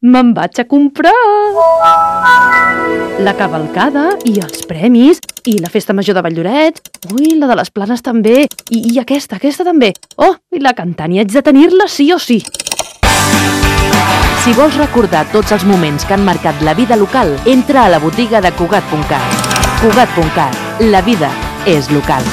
me'n vaig a comprar! La cavalcada i els premis, i la festa major de Valldorets, ui, la de les Planes també, i aquesta també. Oh, i la cantant, i haig de tenir-la sí o sí. Si vols recordar tots els moments que han marcat la vida local, entra a la botiga de Cugat.cat. Cugat.cat. La vida és local.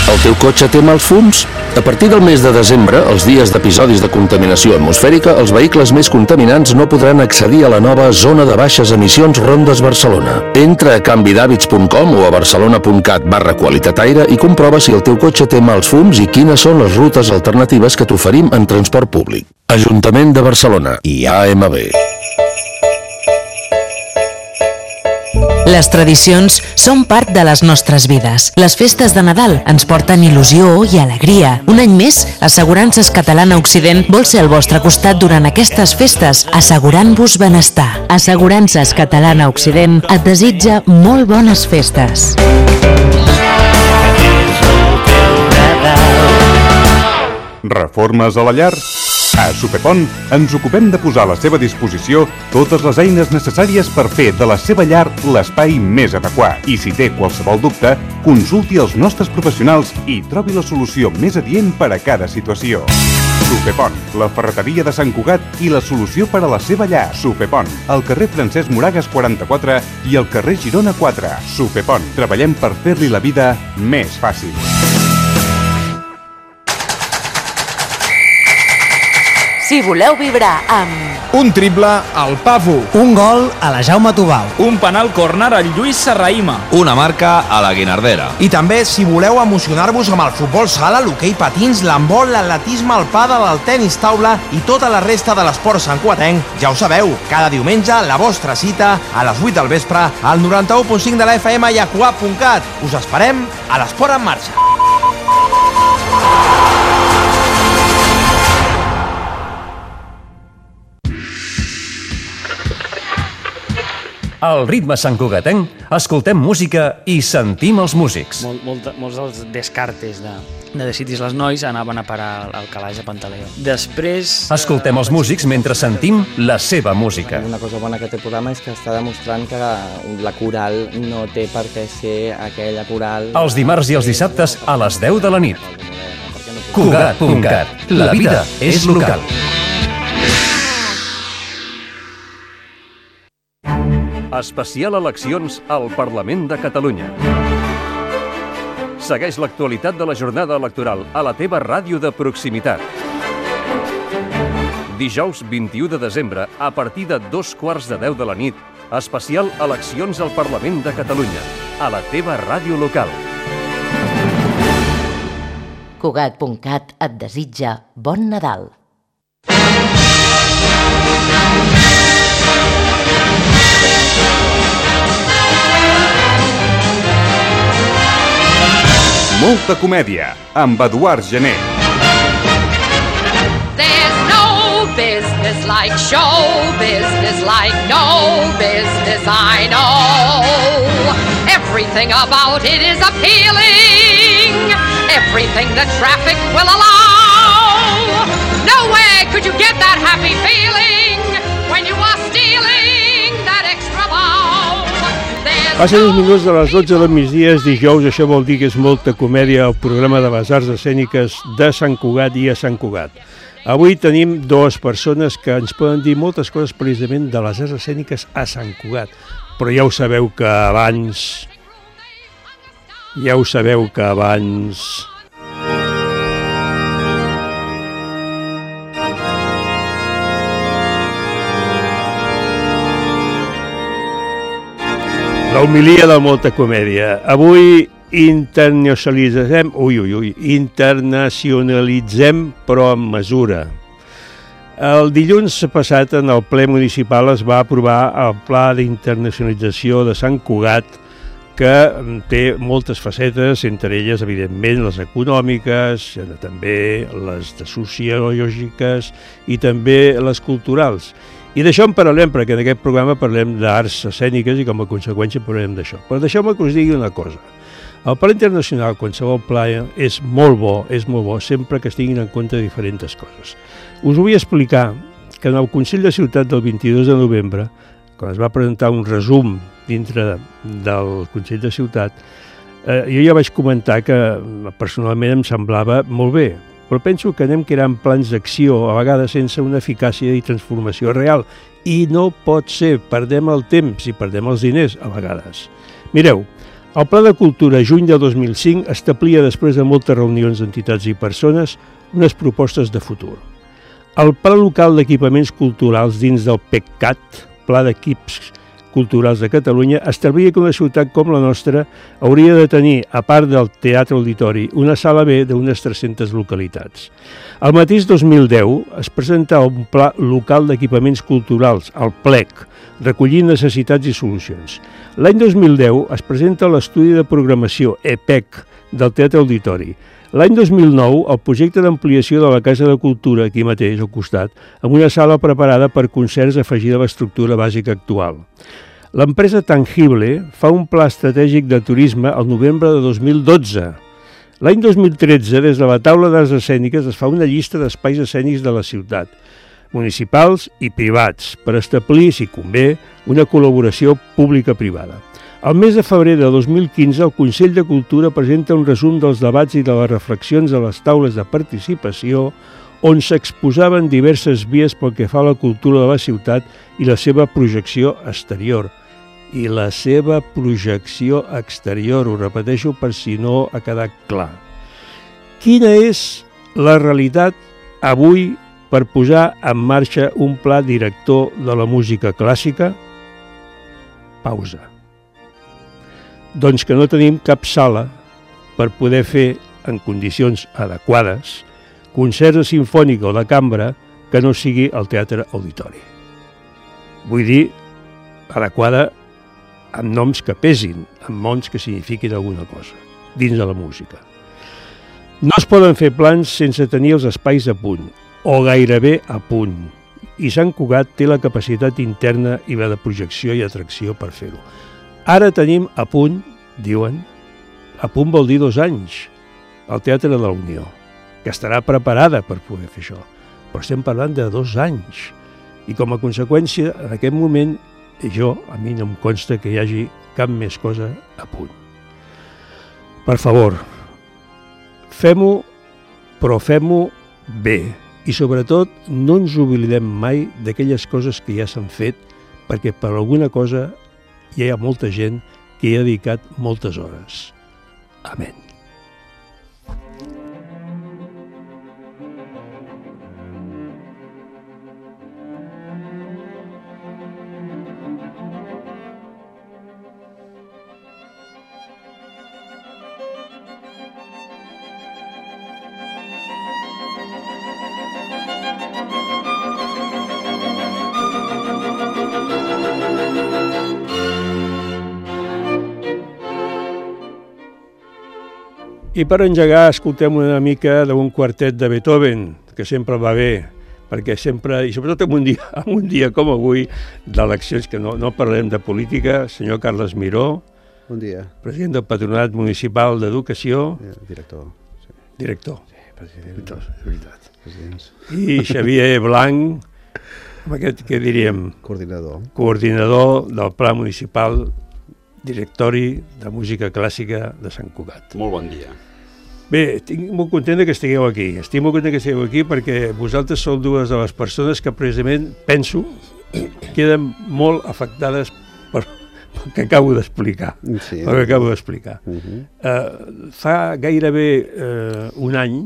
El teu cotxe té mals fums? A partir del mes de desembre, els dies d'episodis de contaminació atmosfèrica, els vehicles més contaminants no podran accedir a la nova zona de baixes emissions Rondes Barcelona. Entra a canvidhàbits.com o a barcelona.cat/qualitat aire i comprova si el teu cotxe té mals fums i quines són les rutes alternatives que t'oferim en transport públic. Ajuntament de Barcelona i AMB. Les tradicions són part de les nostres vides. Les festes de Nadal ens porten il·lusió i alegria. Un any més, Assegurances Catalana Occident vol ser al vostre costat durant aquestes festes, assegurant-vos benestar. Assegurances Catalana Occident et desitja molt bones festes. Reformes a la llar? A Supepont ens ocupem de posar a la seva disposició totes les eines necessàries per fer de la seva llar l'espai més adequat. I si té qualsevol dubte, consulti els nostres professionals i trobi la solució més adient per a cada situació. Supepont, la ferreteria de Sant Cugat i la solució per a la seva llar. Supepont, al carrer Francesc Moragas 44 i al carrer Girona 4. Supepont, treballem per fer-li la vida més fàcil. Si voleu vibrar amb un triple al Pafu, un gol a la Jaume Tubau, un penal córner al Lluís Serraïma, una marca a la Guinardera. I també, si voleu emocionar-vos amb el futbol sala, l'hoquei patins, l'handbol, l'atletisme, el pàdel, el tenis taula i tota la resta de l'esport santcugatenc, ja ho sabeu, cada diumenge la vostra cita a les 8 del vespre al 91.5 de la FM i a Cugat.cat. Us esperem a l'Esport en Marxa. Al ritme santcugatenc, escoltem música i sentim els músics. Molts dels descartes de Decitis les Nois anaven a parar al calaix a Pantaleó. Després... Escoltem els músics mentre sentim la seva música. Una cosa bona que té el programa és que està demostrant que la coral no té per què ser aquella coral... Els dimarts i els dissabtes a les 10 de la nit. Cugat.cat. La vida és local. Especial eleccions al Parlament de Catalunya. Segueix l'actualitat de la jornada electoral a la teva ràdio de proximitat. Dijous 21 de desembre, a partir de 2:15 de la nit, especial eleccions al Parlament de Catalunya, a la teva ràdio local. Cugat.cat et desitja bon Nadal. Molta comèdia, amb Eduard Gené. There's no business like show business, like no business I know. Everything about it is appealing, everything the traffic will allow. Nowhere could you get that happy feeling when you are stealing that extra bow. Passen uns minuts de les 12 del migdia, és dijous, això vol dir que és molta comèdia al programa de les arts escèniques de Sant Cugat i a Sant Cugat. Avui tenim dues persones que ens poden dir moltes coses precisament de les arts escèniques a Sant Cugat, però ja ho sabeu que abans... La homilia de molta comèdia. Avui internacionalitzem, però amb mesura. El dilluns passat en el ple municipal es va aprovar el Pla d'Internacionalització de Sant Cugat, que té moltes facetes, entre elles, evidentment, les econòmiques, també les sociològiques i també les culturals. I d'això en parlarem, perquè en aquest programa parlem d'arts escèniques i com a conseqüència parlem d'això. Però deixeu-me que us digui una cosa. El pla internacional, qualsevol pla, és molt bo, sempre que es tinguin en compte diferents coses. Us vull explicar que en el Consell de Ciutat del 22 de novembre, quan es va presentar un resum dintre del Consell de Ciutat, jo ja vaig comentar que personalment em semblava molt bé, però penso que anem creant plans d'acció, a vegades sense una eficàcia i transformació real, i no pot ser, perdem el temps i perdem els diners a vegades. Mireu, el Pla de Cultura juny de 2005 establia, després de moltes reunions d'entitats i persones, unes propostes de futur. El Pla Local d'Equipaments Culturals dins del PECCAT, Pla d'Equips Culturals de Catalunya, establia que una ciutat com la nostra hauria de tenir, a part del Teatre Auditori, una sala B d'unes 300 localitats. El mateix 2010 es presenta un Pla Local d'Equipaments Culturals, el PLEC, recollint necessitats i solucions. L'any 2010 es presenta l'estudi de programació, EPEC, del Teatre Auditori. L'any 2009, el projecte d'ampliació de la Casa de Cultura, aquí mateix, al costat, amb una sala preparada per concerts afegida a l'estructura bàsica actual. L'empresa Tangible fa un pla estratègic de turisme al novembre de 2012. L'any 2013, des de la taula d'arts escèniques, es fa una llista d'espais escènics de la ciutat, municipals i privats, per establir, si convé, una col·laboració pública-privada. Al mes de febrer de 2015, el Consell de Cultura presenta un resum dels debats i de les reflexions a les taules de participació on s'exposaven diverses vies pel que fa a la cultura de la ciutat i la seva projecció exterior. I la seva projecció exterior, ho repeteixo per si no ha quedat clar. Quina és la realitat avui per posar en marxa un pla director de la música clàssica? Pausa. Doncs que no tenim cap sala per poder fer, en condicions adequades, concerts de simfònica o de cambra que no sigui el Teatre Auditori. Vull dir, adequada amb noms que pesin, amb noms que signifiquin alguna cosa, dins de la música. No es poden fer plans sense tenir els espais a punt, o gairebé a punt, i Sant Cugat té la capacitat interna i la de projecció i atracció per fer-ho. Ara tenim a punt, diuen, a punt vol dir 2 anys, el Teatre de la Unió, que estarà preparada per poder fer això. Però estem parlant de 2 anys. I com a conseqüència, en aquest moment, a mi no em consta que hi hagi cap més cosa a punt. Per favor, fem-ho, però fem-ho bé. I sobretot, no ens oblidem mai d'aquelles coses que ja s'han fet, perquè per alguna cosa hi ha molta gent que hi ha dedicat moltes hores. Amén. I per engegar escoltem una mica d'un quartet de Beethoven, que sempre va bé, perquè sempre, i sobretot en un dia com avui, d'eleccions, que no parlem de política, senyor Carles Miró, bon dia. President del Patronat Municipal d'Educació. Director. Sí. Director. Sí, president. Director, és veritat. Presidents. I Xavier Blanc, amb aquest, què diríem? Coordinador. Coordinador del Pla Municipal Directori de Música Clàssica de Sant Cugat. Molt bon dia. Bé, estic molt content que estigueu aquí. Estic molt content que estigueu aquí perquè vosaltres sou 2 de les persones que precisament, penso, queden molt afectades pel que acabo d'explicar. Sí. El que acabo d'explicar. Fa gairebé un any,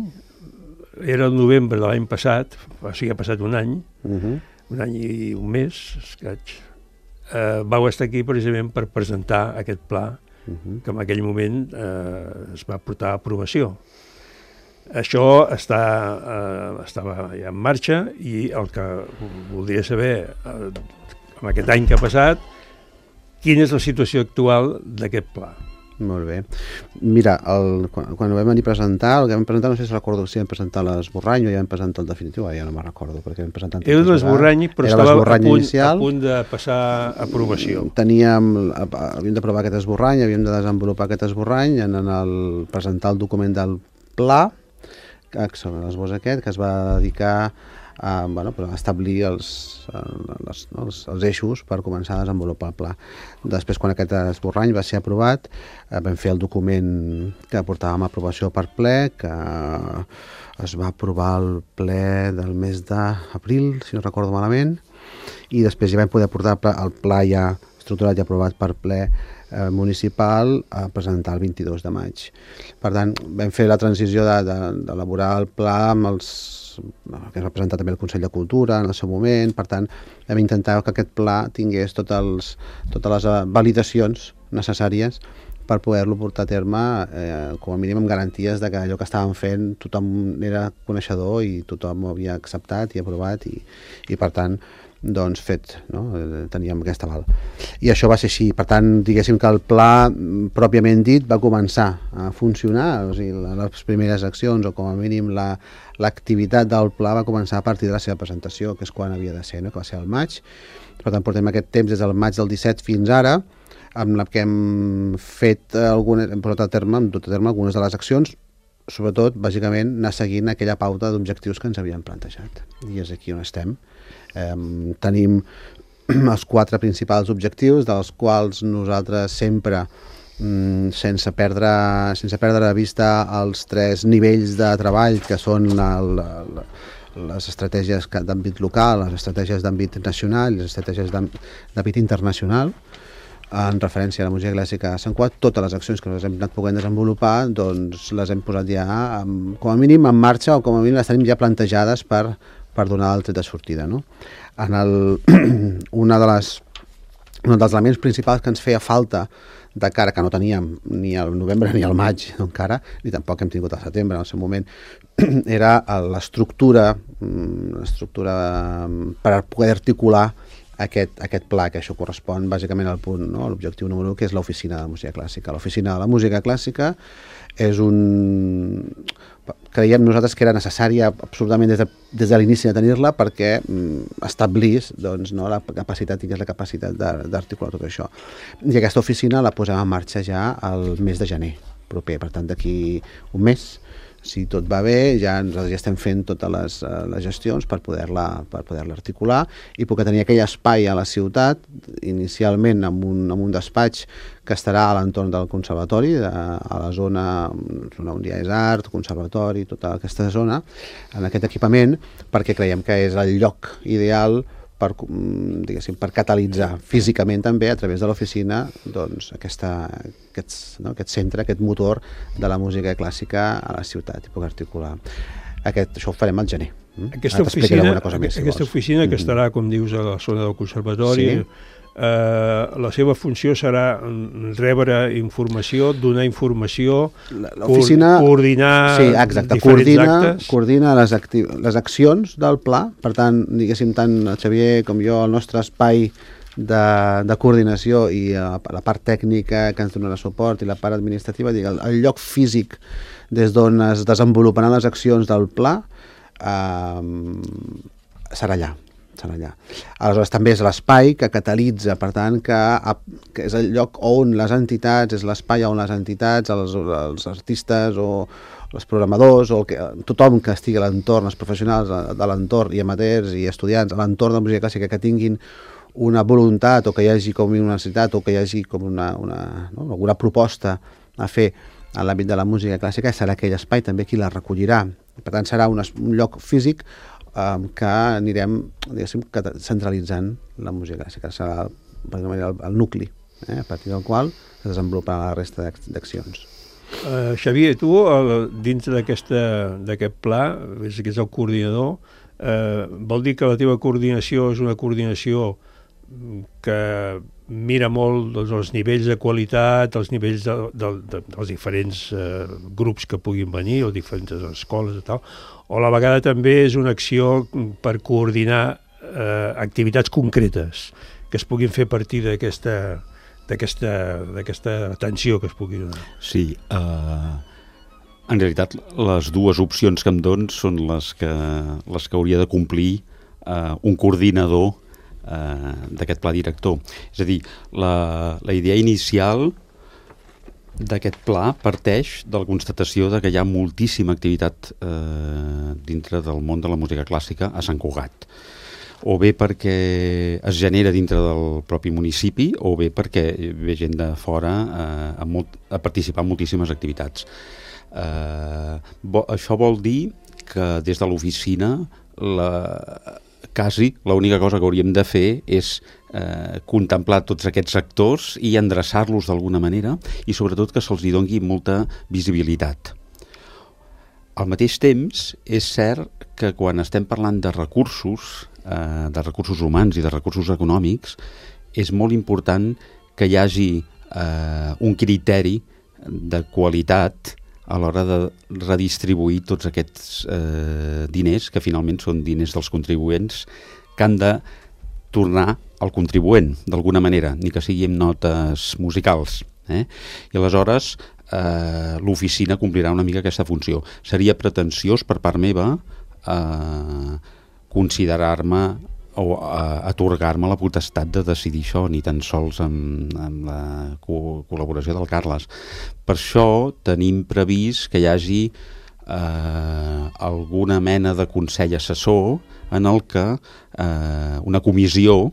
era el novembre de l'any passat, o sigui, ha passat un any, un any i un mes, escaig, vau estar aquí precisament per presentar aquest pla que en aquell moment es va portar a aprovació. Això estava ja en marxa i el que voldria saber en aquest any que ha passat, quina és la situació actual d'aquest pla. Molt bé. Mira, quan ho vam venir a presentar, el que vam presentar, no sé si recordo si vam presentar l'esborrany o ja vam presentar el definitiu, ja no me'n recordo, perquè vam presentar... Era l'esborrany, però estava a punt de passar a aprovació. Havíem d'aprovar aquest esborrany, havíem de desenvolupar aquest esborrany, presentar el document del pla, l'esbós aquest, que es va dedicar establir els eixos per començar a desenvolupar el pla. Després, quan aquest esborrany va ser aprovat, vam fer el document que portàvem a aprovació per ple, que es va aprovar al ple del mes d'abril, si no recordo malament, i després ja vam poder portar el pla ja estructurat i aprovat per ple municipal a presentar el 22 de maig. Per tant, vam fer la transició d'elaborar el pla amb que es va presentar també el Consell de Cultura en el seu moment. Per tant, vam intentar que aquest pla tingués totes les validacions necessàries per poder-lo portar a terme, com a mínim amb garanties de que allò que estàvem fent tothom era coneixedor i tothom ho havia acceptat i aprovat i per tant, doncs fet, no? Teníem aquest aval. I això va ser així. Per tant, diguéssim que el pla pròpiament dit va començar a funcionar, o sigui, les primeres accions o com a mínim l'activitat del pla va començar a partir de la seva presentació, que és quan havia de ser, no? Que va ser al maig. Per tant, portem aquest temps des del maig del 17 fins ara, amb la que hem fet hem portat a terme algunes de les accions, sobretot, bàsicament, anar seguint aquella pauta d'objectius que ens havíem plantejat. I és aquí on estem. Tenim els 4 principals objectius, dels quals nosaltres sempre, sense perdre de vista els 3 nivells de treball, que són les estratègies d'àmbit local, les estratègies d'àmbit nacional i les estratègies d'àmbit internacional, en referència a la música clàssica a Sant Cugat, totes les accions que nosaltres hem anat podent desenvolupar, doncs les hem posat ja, com a mínim, en marxa, o com a mínim les tenim ja plantejades per donar el tret de sortida, no? Un dels elements principals que ens feia falta de cara, que no teníem ni al novembre ni al maig encara, ni tampoc hem tingut al setembre en el seu moment, era l'estructura per poder articular aquest pla, que això correspon bàsicament al punt, no? L'objectiu número 1, que és l'oficina de música clàssica. L'oficina de la música clàssica és creiem nosaltres que era necessària absolutament des de l'inici de tenir-la perquè establís, doncs, no, la capacitat, tingués la capacitat d'articular tot això. I aquesta oficina la posem en marxa ja el mes de gener proper, per tant d'aquí un mes, si tot va bé, nosaltres ja estem fent totes les gestions per poder-la articular i poder tenir aquell espai a la ciutat, inicialment amb un despatx que estarà a l'entorn del conservatori, a la zona on ja és art, conservatori, tota aquesta zona, en aquest equipament, perquè creiem que és el lloc ideal per catalitzar físicament també a través de l'oficina doncs, aquest centre, aquest motor de la música clàssica a la ciutat i poder articular. Això ho farem al gener. Aquesta oficina que estarà, com dius, a la zona del conservatori, la seva funció serà rebre informació, donar informació, coordinar diferents actes. Coordina les accions del pla, per tant, diguéssim, tant el Xavier com jo, el nostre espai de coordinació i la part tècnica que ens donarà suport i la part administrativa, el lloc físic des d'on es desenvoluparan les accions del pla serà allà. Aleshores també és l'espai que catalitza, per tant que és el lloc on les entitats, és l'espai on les entitats, els artistes o els programadors o tothom que estigui a l'entorn, els professionals de l'entorn i amateurs i estudiants a l'entorn de la música clàssica que tinguin una voluntat o que hi hagi com una necessitat o que hi hagi com alguna proposta a fer en l'àmbit de la música clàssica, serà aquell espai també qui la recollirà. Per tant serà un lloc físic que anirem, diguéssim, centralitzant la música clàssica. Serà el nucli, a partir del qual es desenvoluparà la resta d'accions. Xavier, tu, dintre d'aquest pla, que és el coordinador, vol dir que la teva coordinació és una coordinació que mira molt els nivells de qualitat, els nivells dels diferents grups que puguin venir, o diferents escoles i tal, o a la vegada també és una acció per coordinar activitats concretes que es puguin fer a partir d'aquesta atenció que es pugui donar. Sí, en realitat les dues opcions que em dones són les que hauria de complir un coordinador d'aquest pla director. És a dir, la idea inicial d'aquest pla parteix de la constatació de que hi ha moltíssima activitat dintre del món de la música clàssica a Sant Cugat. O bé perquè es genera dintre del propi municipi, o bé perquè ve gent de fora a participar en moltíssimes activitats. Això vol dir que des de l'oficina quasi l'única cosa que hauríem de fer és contemplar tots aquests actors i endreçar-los d'alguna manera i sobretot que se'ls doni molta visibilitat. Al mateix temps, és cert que quan estem parlant de recursos humans i de recursos econòmics, és molt important que hi hagi un criteri de qualitat a l'hora de redistribuir tots aquests diners, que finalment són diners dels contribuents, que han de tornar al contribuent, d'alguna manera, ni que sigui amb notes musicals. I aleshores l'oficina complirà una mica aquesta funció. Seria pretensiós per part meva considerar-me o atorgar-me la potestat de decidir això, ni tan sols amb la col·laboració del Carles. Per això tenim previst que hi hagi alguna mena de consell assessor en el que una comissió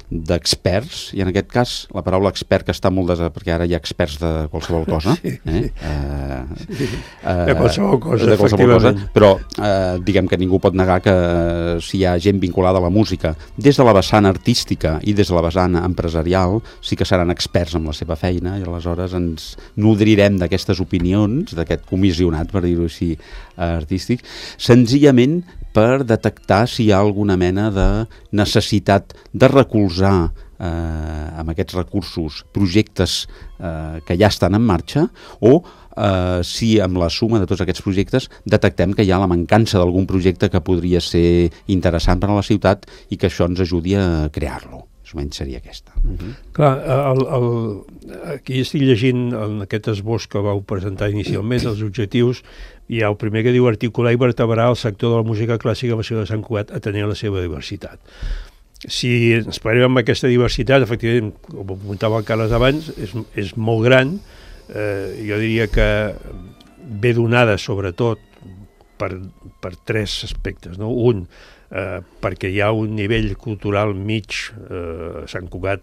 d'experts, i en aquest cas la paraula expert que està molt perquè ara hi ha experts de qualsevol cosa, de qualsevol cosa, però diguem que ningú pot negar que si hi ha gent vinculada a la música des de la vessant artística i des de la vessant empresarial, sí que seran experts en la seva feina, i aleshores ens nodrirem d'aquestes opinions, d'aquest comissionat, per dir-ho així, artístic, senzillament per detectar si hi ha alguna mena de necessitat de recolzar amb aquests recursos projectes que ja estan en marxa, o si amb la suma de tots aquests projectes detectem que hi ha la mancança d'algun projecte que podria ser interessant per a la ciutat i que això ens ajudi a crear-lo. Més o menys seria aquesta. Clar, aquí estic llegint en aquest esbós que vau presentar inicialment, els objectius. Hi ha el primer que diu articular i vertebrar el sector de la música clàssica a la ciutat de Sant Cugat atenent la seva diversitat. Si ens parem amb aquesta diversitat, efectivament, com apuntava el Carles abans, és molt gran. Jo diria que ve donada sobretot per tres aspectes, no? Un, perquè hi ha un nivell cultural mig a Sant Cugat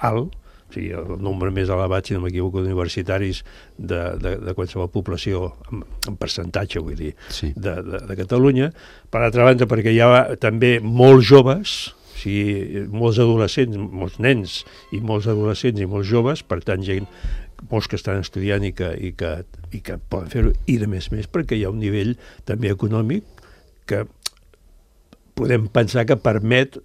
alt, o sigui, el nombre més elevat, si no m'equivoco, d'universitaris de qualsevol població en percentatge, vull dir, de Catalunya. Per altra banda, perquè hi ha també molts joves, o sigui, molts adolescents, molts nens i molts adolescents i molts joves, per tant, molts que estan estudiant i que poden fer-ho, i de més perquè hi ha un nivell també econòmic que podem pensar que permet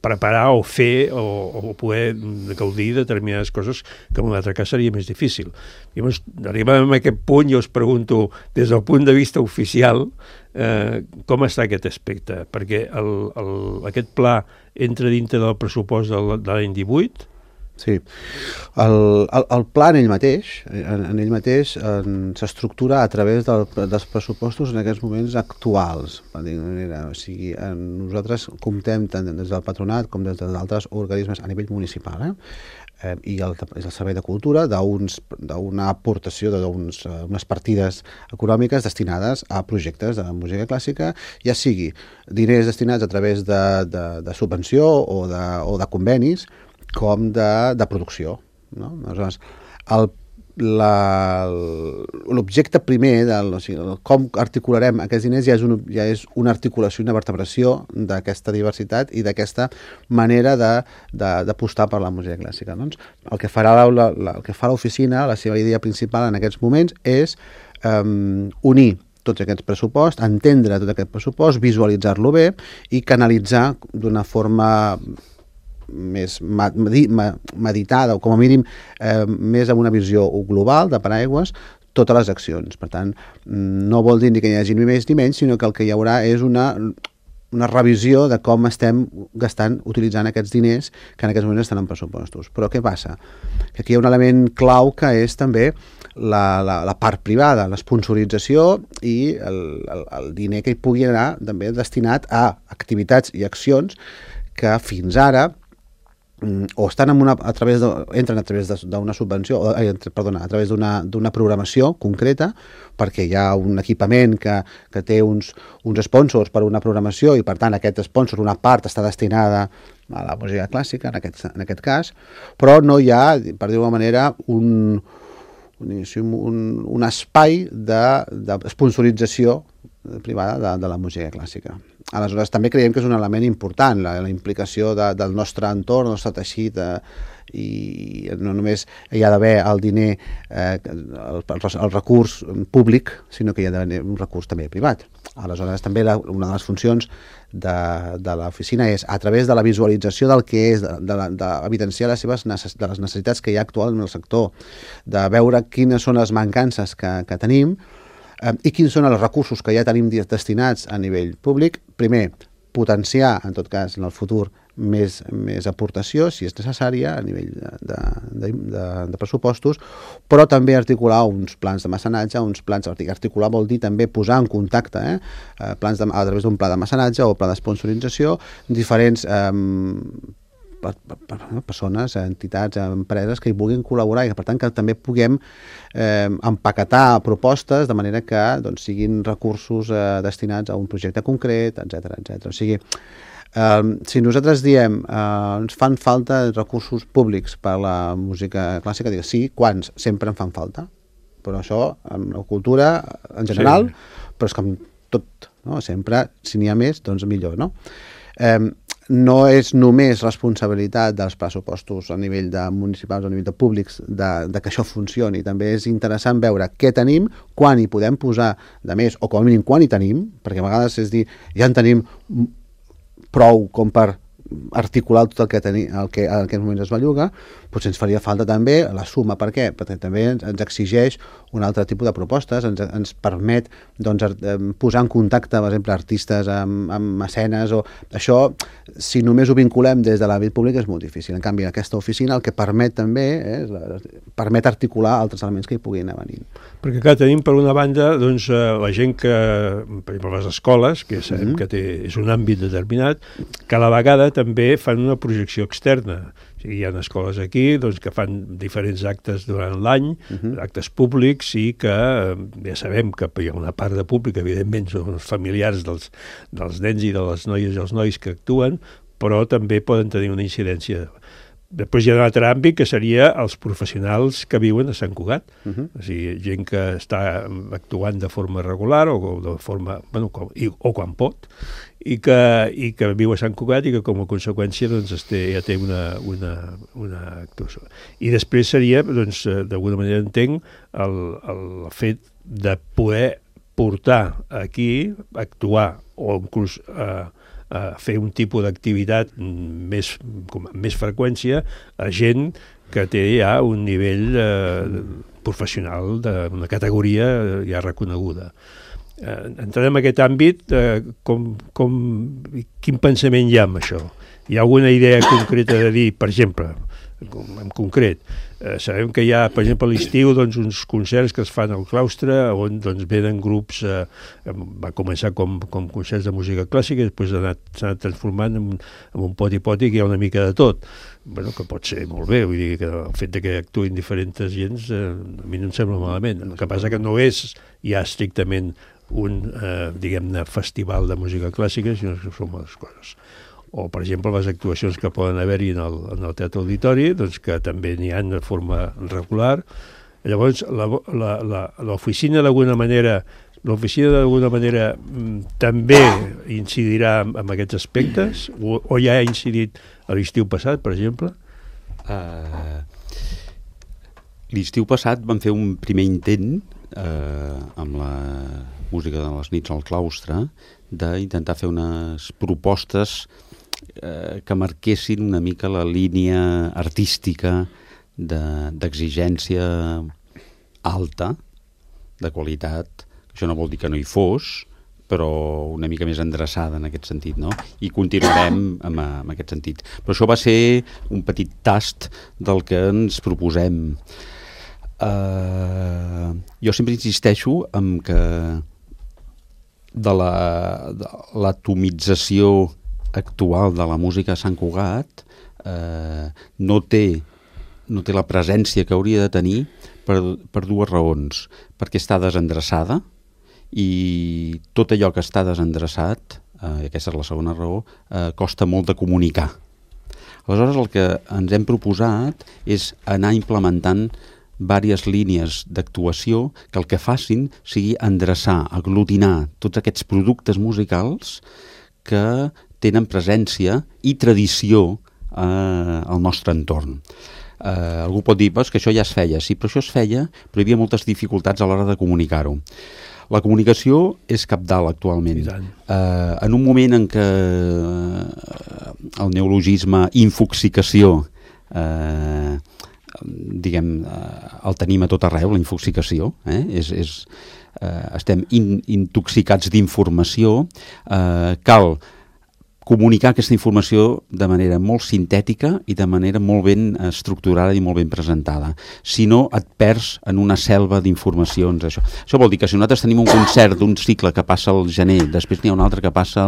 preparar o fer o poder gaudir de determinades coses que en un altre cas seria més difícil. Llavors, arribem a aquest punt i us pregunto, des del punt de vista oficial, com està aquest aspecte? Perquè aquest pla entra dintre del pressupost de l'any 18? Sí. El pla en ell mateix s'estructura a través dels pressupostos en aquests moments actuals. O sigui, nosaltres comptem tant des del patronat com des d'altres organismes a nivell municipal, i el Servei de Cultura d'una aportació d'unes partides econòmiques destinades a projectes de música clàssica, ja sigui diners destinats a través de subvenció o de convenis, com de producció. Aleshores, l'objecte primer, com articularem aquests diners, ja és una articulació, una vertebració d'aquesta diversitat i d'aquesta manera d'apostar per la música clàssica. El que farà l'oficina, la seva idea principal en aquests moments, és unir tots aquests pressuposts, entendre tot aquest pressupost, visualitzar-lo bé i canalitzar d'una forma més meditada, o com a mínim més amb una visió global de paraigües, totes les accions. Per tant, no vol dir ni que hi hagi ni més ni menys, sinó que el que hi haurà és una revisió de com estem utilitzant aquests diners que en aquests moments estan en pressupostos. Però què passa? Que aquí hi ha un element clau que és també la part privada, l'esponsorització i el diner que hi pugui anar també destinat a activitats i accions que fins ara o estan entren a través d'una subvenció, a través d'una programació concreta, perquè hi ha un equipament que té uns sponsors per una programació i per tant aquest sponsor, una part està destinada a la música clàssica en aquest cas, però no hi ha, per dir-ho d'alguna manera, un espai de sponsorització privada de la música clàssica. Aleshores, també creiem que és un element important, la implicació del nostre entorn, del nostre teixit, i no només hi ha d'haver el diner, el recurs públic, sinó que hi ha d'haver un recurs també privat. Aleshores, també una de les funcions de l'oficina és, a través de la visualització del que és, d'evidenciar de les necessitats que hi ha actualment en el sector, de veure quines són les mancances que tenim, i quins són els recursos que ja tenim destinats a nivell públic. Primer, potenciar, en tot cas, en el futur, més aportació, si és necessària, a nivell de pressupostos, però també articular uns plans de mecenatge, articular vol dir també posar en contacte, plans a través d'un pla de mecenatge o pla de sponsorització, diferents persones, entitats, empreses que hi vulguin col·laborar i que per tant que també puguem empaquetar propostes de manera que siguin recursos destinats a un projecte concret, etc. O sigui, si nosaltres diem ens fan falta recursos públics per a la música clàssica, dic sí, quants? Sempre en fan falta, però això en la cultura en general, però és que amb tot, no? Sempre, si n'hi ha més, doncs millor, no? No és només responsabilitat dels pressupostos a nivell de municipals o a nivell de públics de que això funcioni, també és interessant veure què tenim, quan hi podem posar de més, o com a mínim quan hi tenim, perquè a vegades és dir, ja en tenim prou com per articular tot el que en aquests moments es belluga, potser ens faria falta també la suma. Per què? Perquè també ens exigeix un altre tipus de propostes, ens permet posar en contacte, per exemple, artistes amb mecenes, o això, si només ho vinculem des de l'àmbit públic, és molt difícil. En canvi, aquesta oficina el que permet també permet articular altres elements que hi puguin anar venint. Perquè clar, tenim per una banda la gent que, per exemple, les escoles, que sabem que és un àmbit determinat, que a la vegada també fan una projecció externa. O sigui, hi ha escoles aquí que fan diferents actes durant l'any, actes públics, i que ja sabem que hi ha una part de públic, evidentment són els familiars dels nens i de les noies i els nois que actuen, però també poden tenir una incidència. Després hi ha un altre àmbit que seria els professionals que viuen a Sant Cugat, o sigui, gent que està actuant de forma regular o de forma, o quan pot, i que viu a Sant Cugat i que com a conseqüència ja té una actuació. I després seria, d'alguna manera entenc, el fet de poder portar aquí, actuar o inclús fer un tipus d'activitat amb més freqüència a gent que té ja un nivell professional d'una categoria ja reconeguda. Entrant en aquest àmbit, quin pensament hi ha amb això? Hi ha alguna idea concreta de dir, per exemple, en concret, sabem que hi ha, per exemple, a l'estiu uns concerts que es fan al claustre on venen grups, va començar com concerts de música clàssica i després s'ha anat transformant en un poti-poti que hi ha una mica de tot, que pot ser molt bé, vull dir que el fet que actuïn diferents gens a mi no em sembla malament. El que passa que no és ja estrictament un, diguem-ne, festival de música clàssica, sinó que són moltes coses. O, per exemple, les actuacions que poden haver-hi en el Teatre Auditori, que també n'hi ha de forma regular. Llavors, l'oficina d'alguna manera també incidirà en aquests aspectes? O ja ha incidit a l'estiu passat, per exemple? L'estiu passat vam fer un primer intent amb la música de les nits al claustre d'intentar fer unes propostes que marquessin una mica la línia artística d'exigència alta, de qualitat. Això no vol dir que no hi fos, però una mica més endreçada en aquest sentit, no? I continuarem amb aquest sentit. Però això va ser un petit tast del que ens proposem. Jo sempre insisteixo en que de l'atomització actual de la música a Sant Cugat no té la presència que hauria de tenir per dues raons. Perquè està desendreçada i tot allò que està desendreçat, aquesta és la segona raó, costa molt de comunicar. Aleshores, el que ens hem proposat és anar implementant diverses línies d'actuació que el que facin sigui endreçar, aglutinar tots aquests productes musicals que tenen presència i tradició al nostre entorn. Algú pot dir que això ja es feia. Sí, però això es feia, però hi havia moltes dificultats a l'hora de comunicar-ho. La comunicació és cabdal actualment. En un moment en què el neologisme infoxicació el tenim a tot arreu, la infoxicació, estem intoxicats d'informació, cal comunicar aquesta informació de manera molt sintètica i de manera molt ben estructurada i molt ben presentada. Si no, et perds en una selva d'informacions. Això vol dir que si nosaltres tenim un concert d'un cicle que passa al gener, després n'hi ha un altre que passa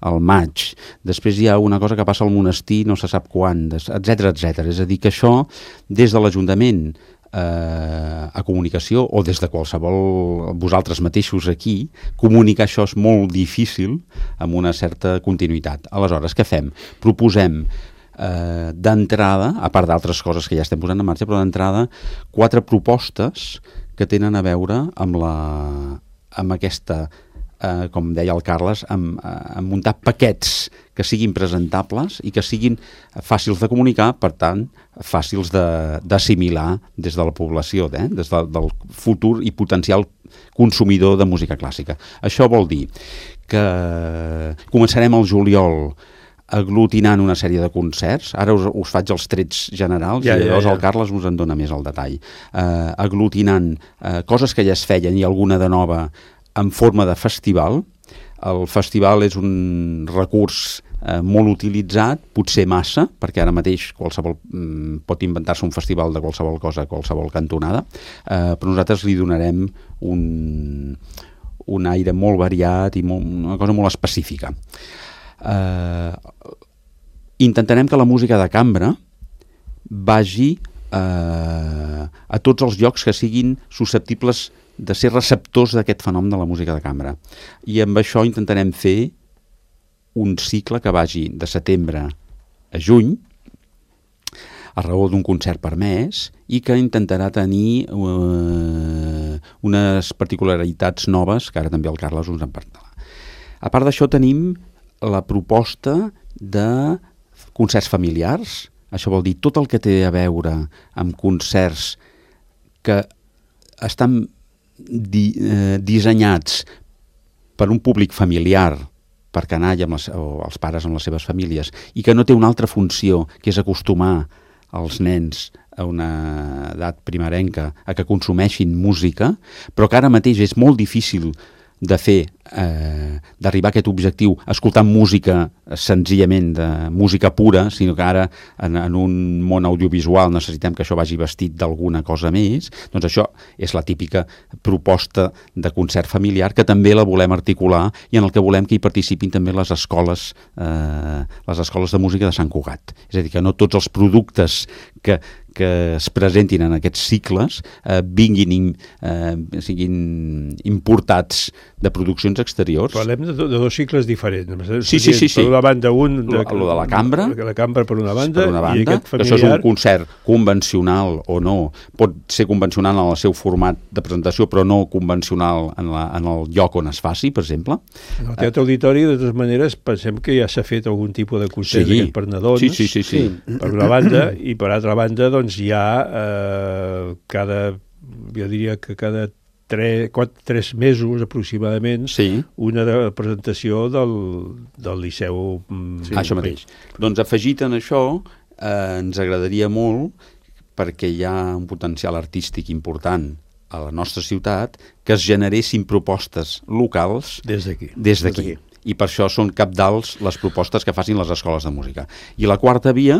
al maig, després hi ha una cosa que passa al monestir no se sap quan, etc. És a dir, que això, des de l'Ajuntament a comunicació, o des de qualsevol, vosaltres mateixos aquí, comunicar això és molt difícil amb una certa continuïtat. Aleshores, què fem? Proposem d'entrada, a part d'altres coses que ja estem posant en marxa, però d'entrada 4 propostes que tenen a veure amb aquesta, com deia el Carles, amb muntar paquets que siguin presentables i que siguin fàcils de comunicar, per tant, fàcils d'assimilar des de la població, des del futur i potencial consumidor de música clàssica. Això vol dir que començarem al juliol aglutinant una sèrie de concerts. Ara us faig els trets generals i llavors el Carles us en dona més el detall. Aglutinant coses que ja es feien i alguna de nova en forma de festival. El festival és un recurs molt utilitzat, potser massa, perquè ara mateix qualsevol pot inventar-se un festival de qualsevol cosa, qualsevol cantonada, però nosaltres li donarem un aire molt variat i una cosa molt específica. Intentarem que la música de cambra vagi a tots els llocs que siguin susceptibles de ser receptors d'aquest fenomen de la música de cambra. I amb això intentarem fer un cicle que vagi de setembre a juny, a raó d'un concert per mes, i que intentarà tenir unes particularitats noves, que ara també el Carles us en parlarà. A part d'això tenim la proposta de concerts familiars. Això vol dir tot el que té a veure amb concerts que estan dissenyats per un públic familiar, per canalla o els pares amb les seves famílies, i que no té una altra funció, que és acostumar els nens a una edat primerenca a que consumeixin música, però que ara mateix és molt difícil de fer, d'arribar a aquest objectiu escoltant música senzillament de música pura, sinó que ara en un món audiovisual necessitem que això vagi vestit d'alguna cosa més. Doncs això és la típica proposta de concert familiar, que també la volem articular i en el que volem que hi participin també les escoles de música de Sant Cugat. És a dir, que no tots els productes que es presentin en aquests cicles siguin importats de produccions exteriors. Parlem de 2 cicles diferents. Sí. Per una banda, el de la cambra. La cambra per una banda, i aquest familiar. Això és un concert convencional o no. Pot ser convencional en el seu format de presentació, però no convencional en el lloc on es faci, per exemple. En el Teatre Auditori, de totes maneres, pensem que ja s'ha fet algun tipus de concert per nadons. Sí. Per una banda, i per altra banda, doncs hi ha jo diria que cada 3 mesos aproximadament, una presentació del Liceu. Això mateix. Doncs afegit en això, ens agradaria molt, perquè hi ha un potencial artístic important a la nostra ciutat, que es generessin propostes locals des d'aquí. I per això són cabdals les propostes que facin les escoles de música. I la quarta via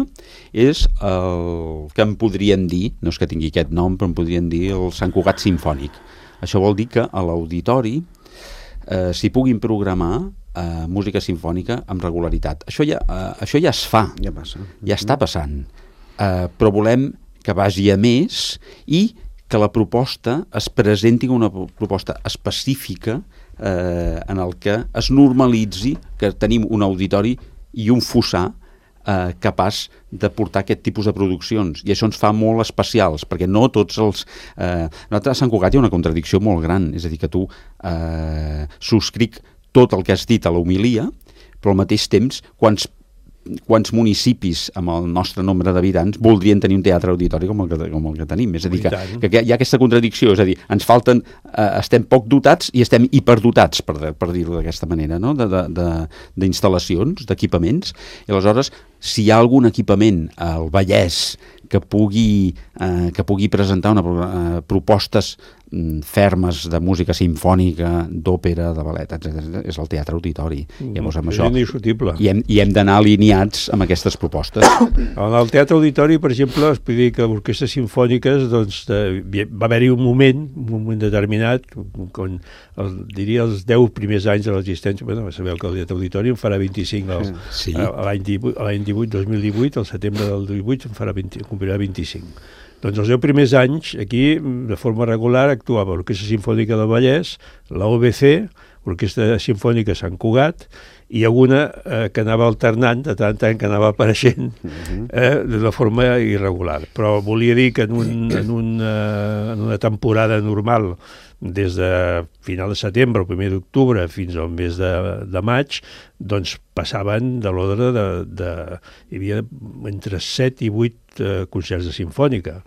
és el que en podríem dir, no és que tingui aquest nom, però en podríem dir el Sant Cugat Simfònic. Això vol dir que a l'auditori s'hi puguin programar música sinfònica amb regularitat. Això ja es fa, ja passa. Ja està passant, però volem que vagi a més i que la proposta es presenti com una proposta específica en el que es normalitzi que tenim un auditori i un fossar capaç de portar aquest tipus de produccions, i això ens fa molt especials, perquè no tots els... Nosaltres a Sant Cugat hi ha una contradicció molt gran, és a dir, que tu subscric tot el que has dit a la homilia, però al mateix temps, quants municipis amb el nostre nombre d'habitants voldrien tenir un teatre auditori com el que tenim? És a dir, que hi ha aquesta contradicció, és a dir, ens falten, estem poc dotats i estem hiperdotats, per dir-ho d'aquesta manera, no? D'instal·lacions, d'equipaments, i aleshores, si hi ha algun equipament al Vallès que pugui presentar propostes fermes de música sinfònica, d'òpera, de ballet, etc., és el teatre auditori. Llavors, amb això, i hem d'anar alineats amb aquestes propostes. En el teatre auditori, per exemple, es pot dir que orquestres sinfòniques, doncs, va haver-hi un moment determinat, quan diria els 10 primers anys de l'existència, sabeu que el teatre auditori en farà 25 l'any 2018, al setembre del 18 complirà 25. Doncs els 10 primers anys, aquí, de forma regular, actuava l'Orquestra Sinfònica del Vallès, la OBC, l'Orquestra Sinfònica Sant Cugat, i alguna que anava alternant, de tant en tant que anava apareixent de forma irregular. Però volia dir que en una temporada normal, des de final de setembre o primer d'octubre fins al mes de maig, doncs passaven de l'ordre hi havia entre 7 i 8 concerts de sinfònica.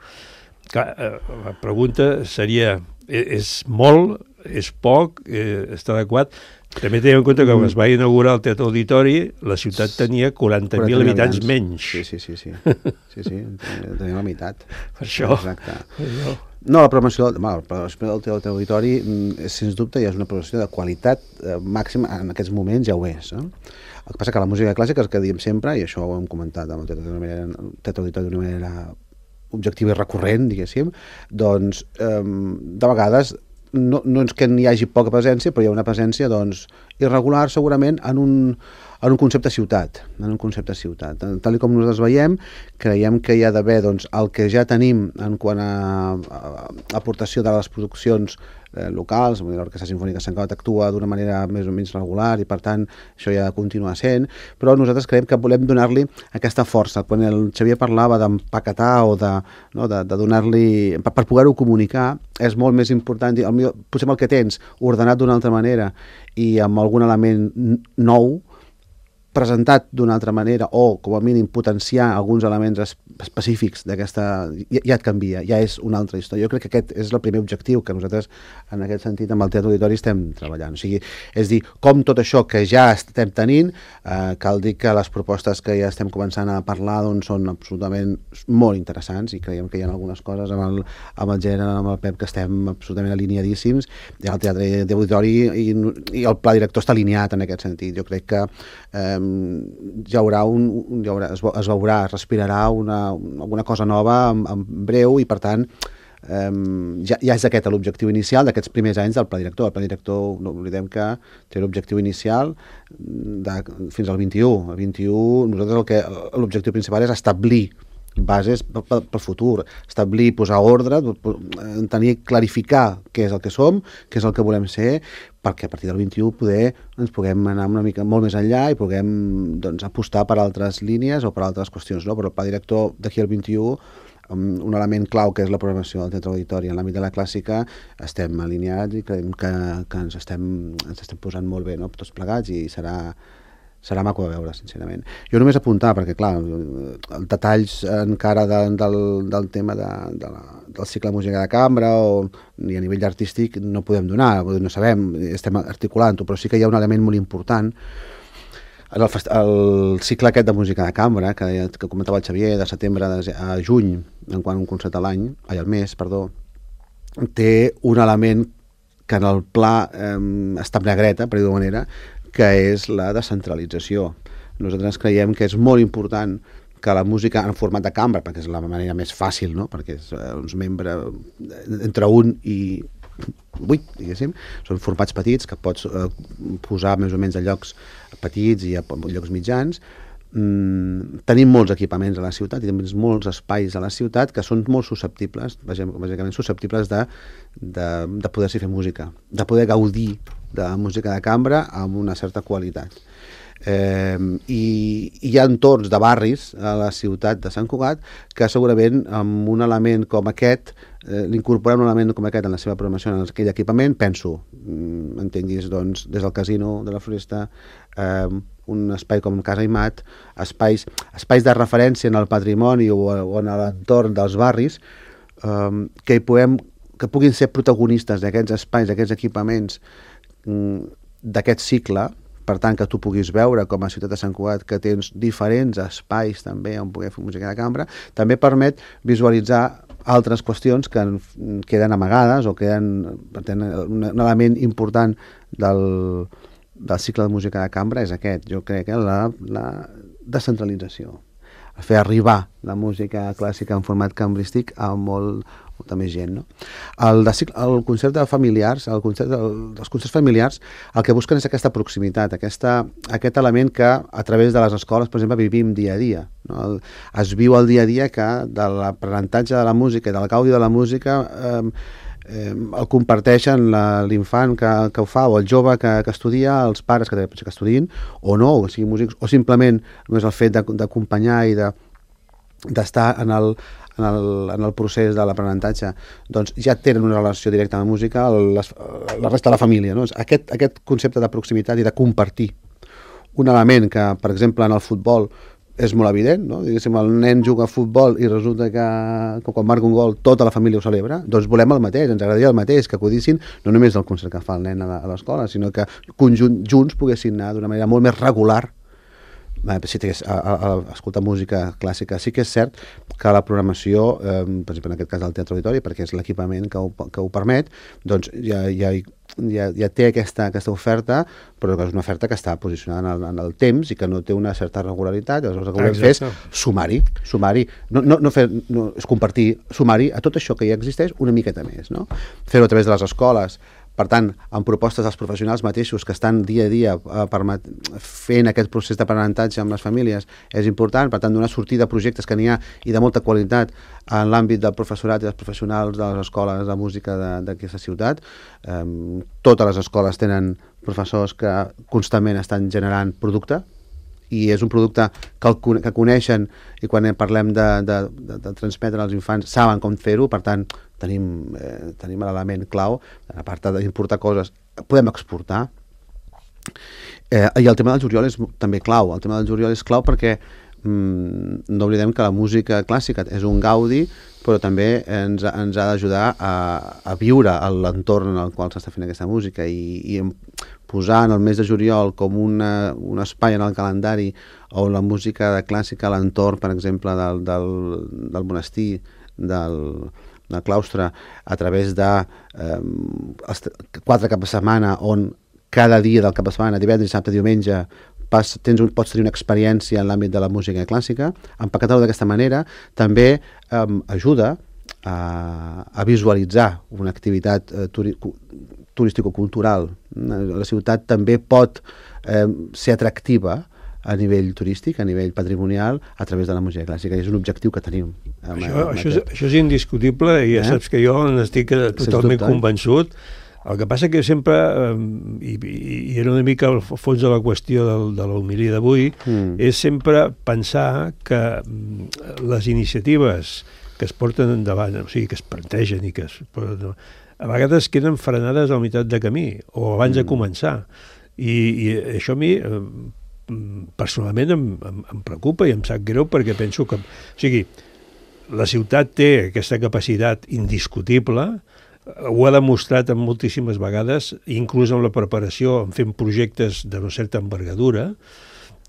La pregunta seria, és molt, és poc, està adequat? També tenim en compte que quan es va inaugurar el Teatre Auditori, la ciutat tenia 40.000 habitants menys. Sí, tenia la meitat. Per això. Exacte. No, la programació del Teatre Auditori, sens dubte, ja és una programació de qualitat màxima, en aquests moments ja ho és. El que passa que la música clàssica, que diem sempre, i això ho hem comentat amb el Teatre Auditori d'una manera objectiva i recurrent, diguéssim, doncs, de vegades no és que n'hi hagi poca presència, però hi ha una presència irregular segurament en un concepte ciutat. Tal com nosaltres veiem, creiem que hi ha d'haver el que ja tenim en quant a aportació de les produccions locals. L'Orquestra Sinfònica Sant Cugat actua d'una manera més o menys regular i per tant això ja continua sent, però nosaltres creiem que volem donar-li aquesta força. Quan el Xavier parlava d'empaquetar o de donar-li, per poder-ho comunicar, és molt més important, potser amb el que tens ordenat d'una altra manera i amb algun element nou, presentat d'una altra manera, o com a mínim potenciar alguns elements específics d'aquesta, ja et canvia, ja és una altra història. Jo crec que aquest és el primer objectiu que nosaltres en aquest sentit amb el Teatre Auditori estem treballant. O sigui, és dir, com tot això que ja estem tenint, cal dir que les propostes que ja estem començant a parlar són absolutament molt interessants i creiem que hi ha algunes coses amb el Gera, amb el Pep, que estem absolutament alineadíssims, i el Teatre Auditori i el pla director està alineat en aquest sentit. Jo crec que es veurà, es respirarà alguna cosa nova en breu, i per tant ja és aquest l'objectiu inicial d'aquests primers anys del pla director. El pla director, no oblidem que té l'objectiu inicial fins al 21. El 21, nosaltres l'objectiu principal és establir bases pel futur, establir, posar ordre, clarificar què és el que som, què és el que volem ser, perquè a partir del 21 ens puguem anar una mica molt més enllà i puguem apostar per altres línies o per altres qüestions. Però el pla director d'aquí al 21, un element clau que és la programació del Teatre Auditori en l'àmbit de la clàssica, estem alineats i creiem que ens estem posant molt bé, tots plegats, i serà maco de veure, sincerament. Jo només apuntar, perquè clar, els detalls encara del tema del cicle de música de cambra i a nivell artístic no podem donar, no sabem, estem articulant-ho, però sí que hi ha un element molt important. El cicle aquest de música de cambra, que comentava el Xavier, de setembre a juny, en quant a un concert al mes, té un element que en el pla està en negreta, per dir-ho d'una manera, que és la descentralització. Nosaltres creiem que és molt important que la música en format de cambra, perquè és la manera més fàcil, no? Perquè és uns membres entre un i 8, diguéssim, són formats petits que pots posar més o menys a llocs petits i a llocs mitjans. Tenim molts equipaments a la ciutat i també molts espais a la ciutat que són molt susceptibles, bàsicament susceptibles de poder-s'hi fer música, de poder gaudir de la música de cambra amb una certa qualitat. I hi ha entorns de barris a la ciutat de Sant Cugat que segurament amb un element com aquest, l'incorporar un element com aquest en la seva programació, en aquell equipament, penso, entenguis, doncs, des del Casino de la Floresta, un espai com Casa Imat, espais de referència en el patrimoni o en l'entorn dels barris, que puguin ser protagonistes d'aquests espais, d'aquests equipaments, d'aquest cicle. Per tant, que tu puguis veure com a ciutat de Sant Cugat que tens diferents espais també on poder fer música de cambra, també permet visualitzar altres qüestions que queden amagades o queden, per tant, un element important del cicle de música de cambra és aquest, jo crec que la descentralització, fer arribar la música clàssica en format cambrístic a molta més gent, no? El concert de familiars, els concerts familiars, el que busquen és aquesta proximitat, aquest element que a través de les escoles, per exemple, vivim dia a dia, no? Es viu el dia a dia que de l'aprenentatge de la música i del gaudi de la música el comparteixen l'infant que ho fa o el jove que estudia, els pares que estudien o no, o siguin músics, o simplement només el fet d'acompanyar i d'estar en el procés de l'aprenentatge, doncs ja tenen una relació directa amb la música la resta de la família, no? Aquest concepte de proximitat i de compartir un element que, per exemple, en el futbol és molt evident, no? Diguéssim, el nen juga a futbol i resulta que quan marca un gol tota la família ho celebra, doncs volem el mateix, ens agradaria el mateix, que acudissin no només el concert que fa el nen a l'escola, sinó que junts poguessin anar d'una manera molt més regular a escoltar música clàssica. Sí que és cert que la programació, per exemple en aquest cas del Teatre Auditori, perquè és l'equipament que ho permet, doncs ja té aquesta oferta, però que és una oferta que està posicionada en el temps i que no té una certa regularitat. Aleshores el que volem fer és sumar-hi, és compartir, sumar-hi a tot això que ja existeix una miqueta més, no? Fer-ho a través de les escoles. Per tant, amb propostes dels professionals mateixos que estan dia a dia fent aquest procés d'aprenentatge amb les famílies és important. Per tant, donar sortida a projectes que n'hi ha i de molta qualitat en l'àmbit del professorat i dels professionals de les escoles de música d'aquesta ciutat. Totes les escoles tenen professors que constantment estan generant producte i és un producte que coneixen i quan parlem de transmetre als infants saben com fer-ho. Per tant, tenim l'element clau, a part d'importar coses, podem exportar. I el tema del juliol és també clau. El tema del juliol és clau perquè no oblidem que la música clàssica és un gaudi, però també ens ha d'ajudar a viure l'entorn en el qual s'està fent aquesta música i posar en el mes de juliol com un espai en el calendari on la música clàssica a l'entorn, per exemple, del monestir, del claustre, a través de 4 caps de setmana on cada dia del cap de setmana, divendres, dissabte, diumenge, pots tenir una experiència en l'àmbit de la música clàssica. Empaquetar-ho d'aquesta manera també ajuda a visualitzar una activitat turístico-cultural. La ciutat també pot ser atractiva a nivell turístic, a nivell patrimonial, a través de la música clàssica. És un objectiu que tenim. Això és indiscutible i ja saps que jo n'estic totalment convençut. El que passa que sempre, i era una mica el fons de la qüestió de l'homilia d'avui, és sempre pensar que les iniciatives que es porten endavant, o sigui, que es plantegen i que a vegades queden frenades a la meitat de camí o abans de començar. I això a mi personalment em preocupa i em sap greu perquè penso que, o sigui, la ciutat té aquesta capacitat indiscutible, ho ha demostrat moltíssimes vegades, inclús amb la preparació, fent projectes de no certa envergadura,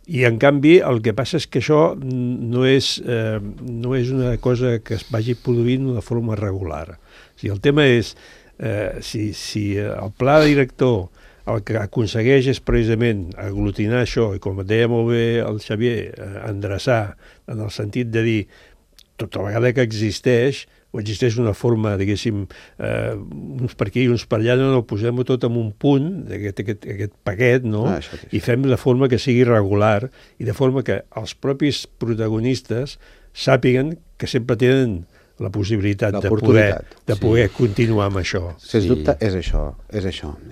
i en canvi el que passa és que això no és una cosa que es vagi produint d'una forma regular. O sigui, el tema és si el pla director el que aconsegueix és precisament aglutinar això i, com deia molt bé el Xavier, endreçar en el sentit de dir tota vegada que existeix o existeix una forma, diguéssim, uns per aquí i uns per allà, no, posem-ho tot en un punt, aquest paquet, no? I fem de forma que sigui regular i de forma que els propis protagonistes sàpiguen que sempre tenen la possibilitat de poder continuar amb això. Sens dubte és això.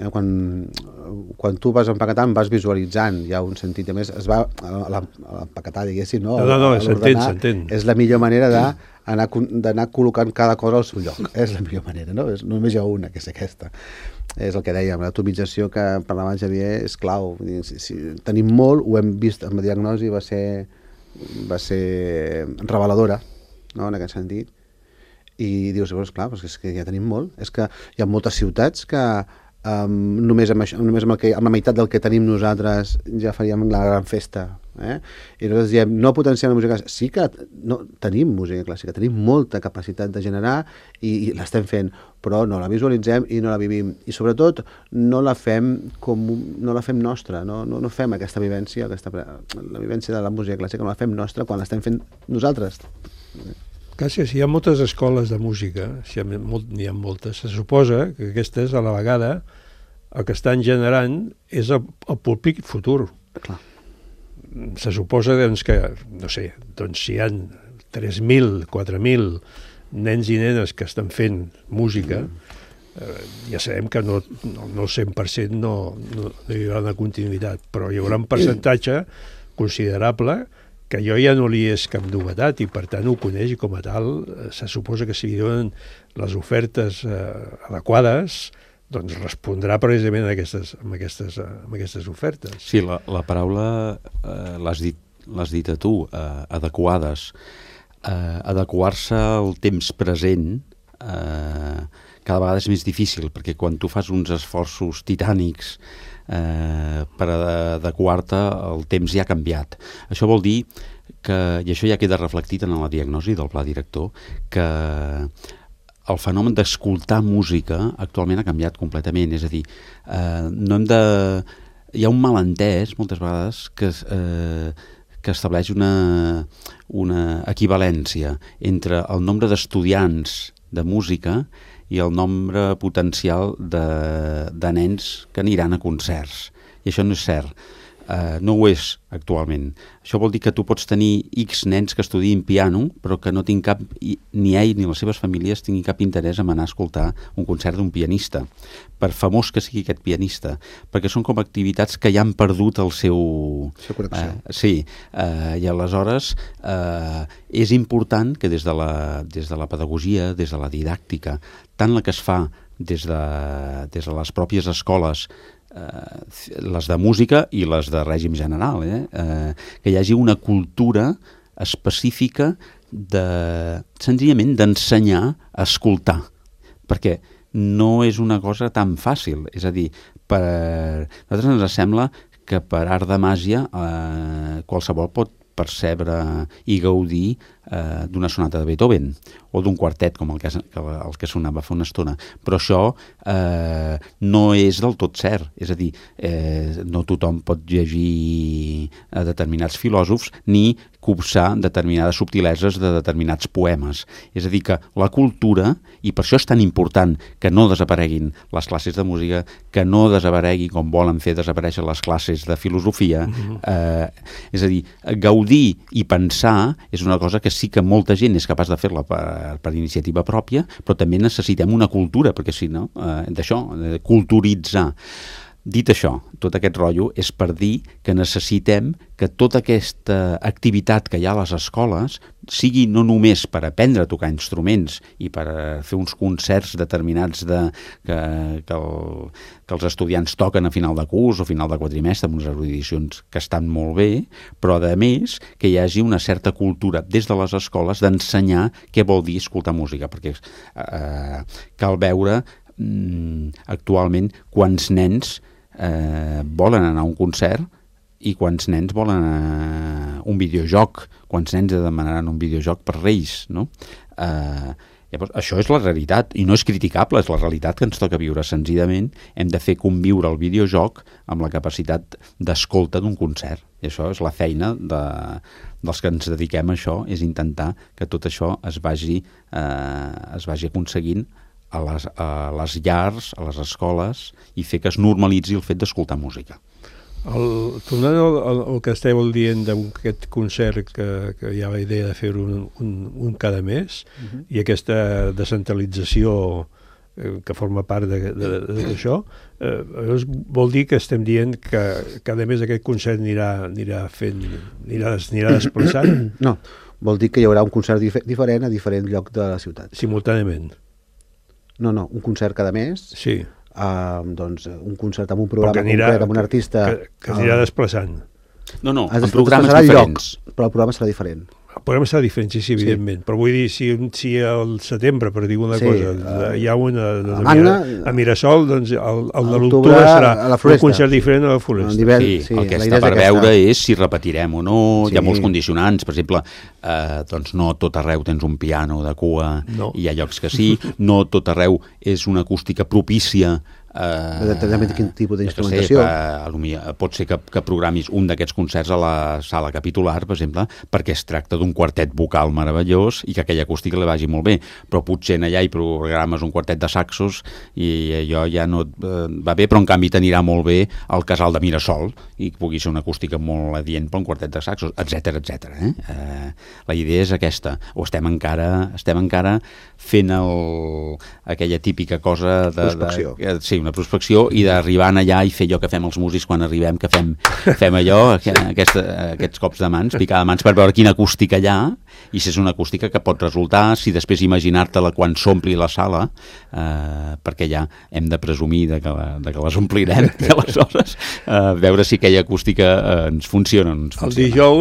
Quan tu vas empaquetant vas visualitzant, hi ha un sentit, a més es va a l'empaquetar, diguéssim, no? No, s'entén. És la millor manera d'anar col·locant cada cosa al seu lloc. És la millor manera, no? Només hi ha una, que és aquesta. És el que dèiem, l'atomització que parlava el Xavier és clau. Si tenim molt, ho hem vist amb la diagnosi, va ser reveladora, no?, en aquest sentit. I dius, clar, és que ja tenim molt. És que hi ha moltes ciutats que només amb la meitat del que tenim nosaltres ja faríem la gran festa. I nosaltres diem, no potenciem la música clàssica. Sí que tenim música clàssica, tenim molta capacitat de generar i l'estem fent, però no la visualitzem i no la vivim. I sobretot no la fem nostra, no fem aquesta vivència, la vivència de la música clàssica no la fem nostra quan l'estem fent nosaltres. Gràcies. Hi ha moltes escoles de música, n'hi ha moltes. Se suposa que aquestes, a la vegada, el que estan generant és el públic futur. Clar. Se suposa que, no sé, si hi ha 3.000, 4.000 nens i nenes que estan fent música, ja sabem que no el 100% no hi haurà una continuïtat, però hi haurà un percentatge considerable que jo ja no li és cap novetat i per tant ho coneix i com a tal se suposa que si li donen les ofertes adequades doncs respondrà precisament a aquestes ofertes. Sí, la paraula l'has dit a tu, adequades. Adequar-se al temps present cada vegada és més difícil perquè quan tu fas uns esforços titànics per adequar-te, el temps ja ha canviat. Això vol dir que, i això ja queda reflectit en la diagnosi del pla director, que el fenomen d'escoltar música actualment ha canviat completament. És a dir, hi ha un malentès moltes vegades que estableix una equivalència entre el nombre d'estudiants de música i el nombre potencial de nens que aniran a concerts. I això no és cert. No ho és actualment. Això vol dir que tu pots tenir X nens que estudien piano, però que no tinc cap, ni ell ni les seves famílies tinguin cap interès en anar a escoltar un concert d'un pianista, per famós que sigui aquest pianista, perquè són com activitats que ja han perdut el seu... connexió. Sí, i aleshores és important que des de la pedagogia, des de la didàctica, tant la que es fa des de les pròpies escoles, les de música i les de règim general, que hi hagi una cultura específica senzillament d'ensenyar a escoltar, perquè no és una cosa tan fàcil. És a dir, a nosaltres ens sembla que per art de màgia qualsevol pot percebre i gaudir d'una sonata de Beethoven o d'un quartet com el que sonava fa una estona, però això no és del tot cert. És a dir, no tothom pot llegir a determinats filòsofs ni copsar determinades subtileses de determinats poemes. És a dir, que la cultura, i per això és tan important que no desapareguin les classes de música, que no desaparegui com volen fer desaparèixer les classes de filosofia, és a dir, gaudir i pensar és una cosa que sí que molta gent és capaç de fer-la per iniciativa pròpia, però també necessitem una cultura, perquè si no, d'això, culturitzar. Dit això, tot aquest rotllo és per dir que necessitem que tota aquesta activitat que hi ha a les escoles sigui no només per aprendre a tocar instruments i per fer uns concerts determinats que els estudiants toquen a final de curs o final de quadrimestre amb unes erudicions que estan molt bé, però a més que hi hagi una certa cultura des de les escoles d'ensenyar què vol dir escoltar música, perquè cal veure actualment quants nens volen anar a un concert i quants nens volen un videojoc, quants nens demanaran un videojoc per Reis, no? Llavors, això és la realitat, i no és criticable, és la realitat que ens toca viure. Senzillament hem de fer conviure el videojoc amb la capacitat d'escolta d'un concert. I això és la feina dels que ens dediquem a això, és intentar que tot això es vagi aconseguint a les llars, a les escoles, i fer que es normalitzi el fet d'escoltar música. Tornant al que esteu dient d'aquest concert que hi ha la idea de fer-ho un cada mes, i aquesta descentralització que forma part d'això, vol dir que estem dient que cada mes aquest concert anirà desplaçant? No, vol dir que hi haurà un concert diferent a diferent lloc de la ciutat. Simultàniament? No, un concert cada mes. Sí. Doncs un concert amb un programa concret, amb un artista... Que s'anirà desplaçant. No, amb programes diferents. Però el programa serà diferent. El programa serà diferent, sí, evidentment. Però vull dir, si al setembre, per dir una cosa, hi ha una a Mirasol, doncs el de l'octubre serà un concert diferent a la Floresta. Sí, el que està per veure és si repetirem o no. Hi ha molts condicionants. Per exemple, doncs no tot arreu tens un piano de cua, hi ha llocs que sí. No tot arreu és una acústica propícia. Determinament quin tipus d'instrumentació. Pot ser que programis un d'aquests concerts a la sala capitular, per exemple, perquè es tracta d'un quartet vocal meravellós i que aquella acústica li vagi molt bé, però potser allà hi programes un quartet de saxos i allò ja no va bé, però en canvi t'anirà molt bé al Casal de Mirasol i pugui ser una acústica molt adient per un quartet de saxos, etc. La idea és aquesta, o estem encara fent aquella típica cosa de prospecció. Sí, una prospecció, i d'arribar allà i fer allò que fem els músics quan arribem, que fem allò, aquests cops de mans, picar de mans per veure quina acústica hi ha, i si és una acústica que pot resultar, si després imaginar-te-la quan s'ompli la sala, perquè ja hem de presumir de que les omplirem, i aleshores veure si aquella acústica ens funciona o no ens funciona.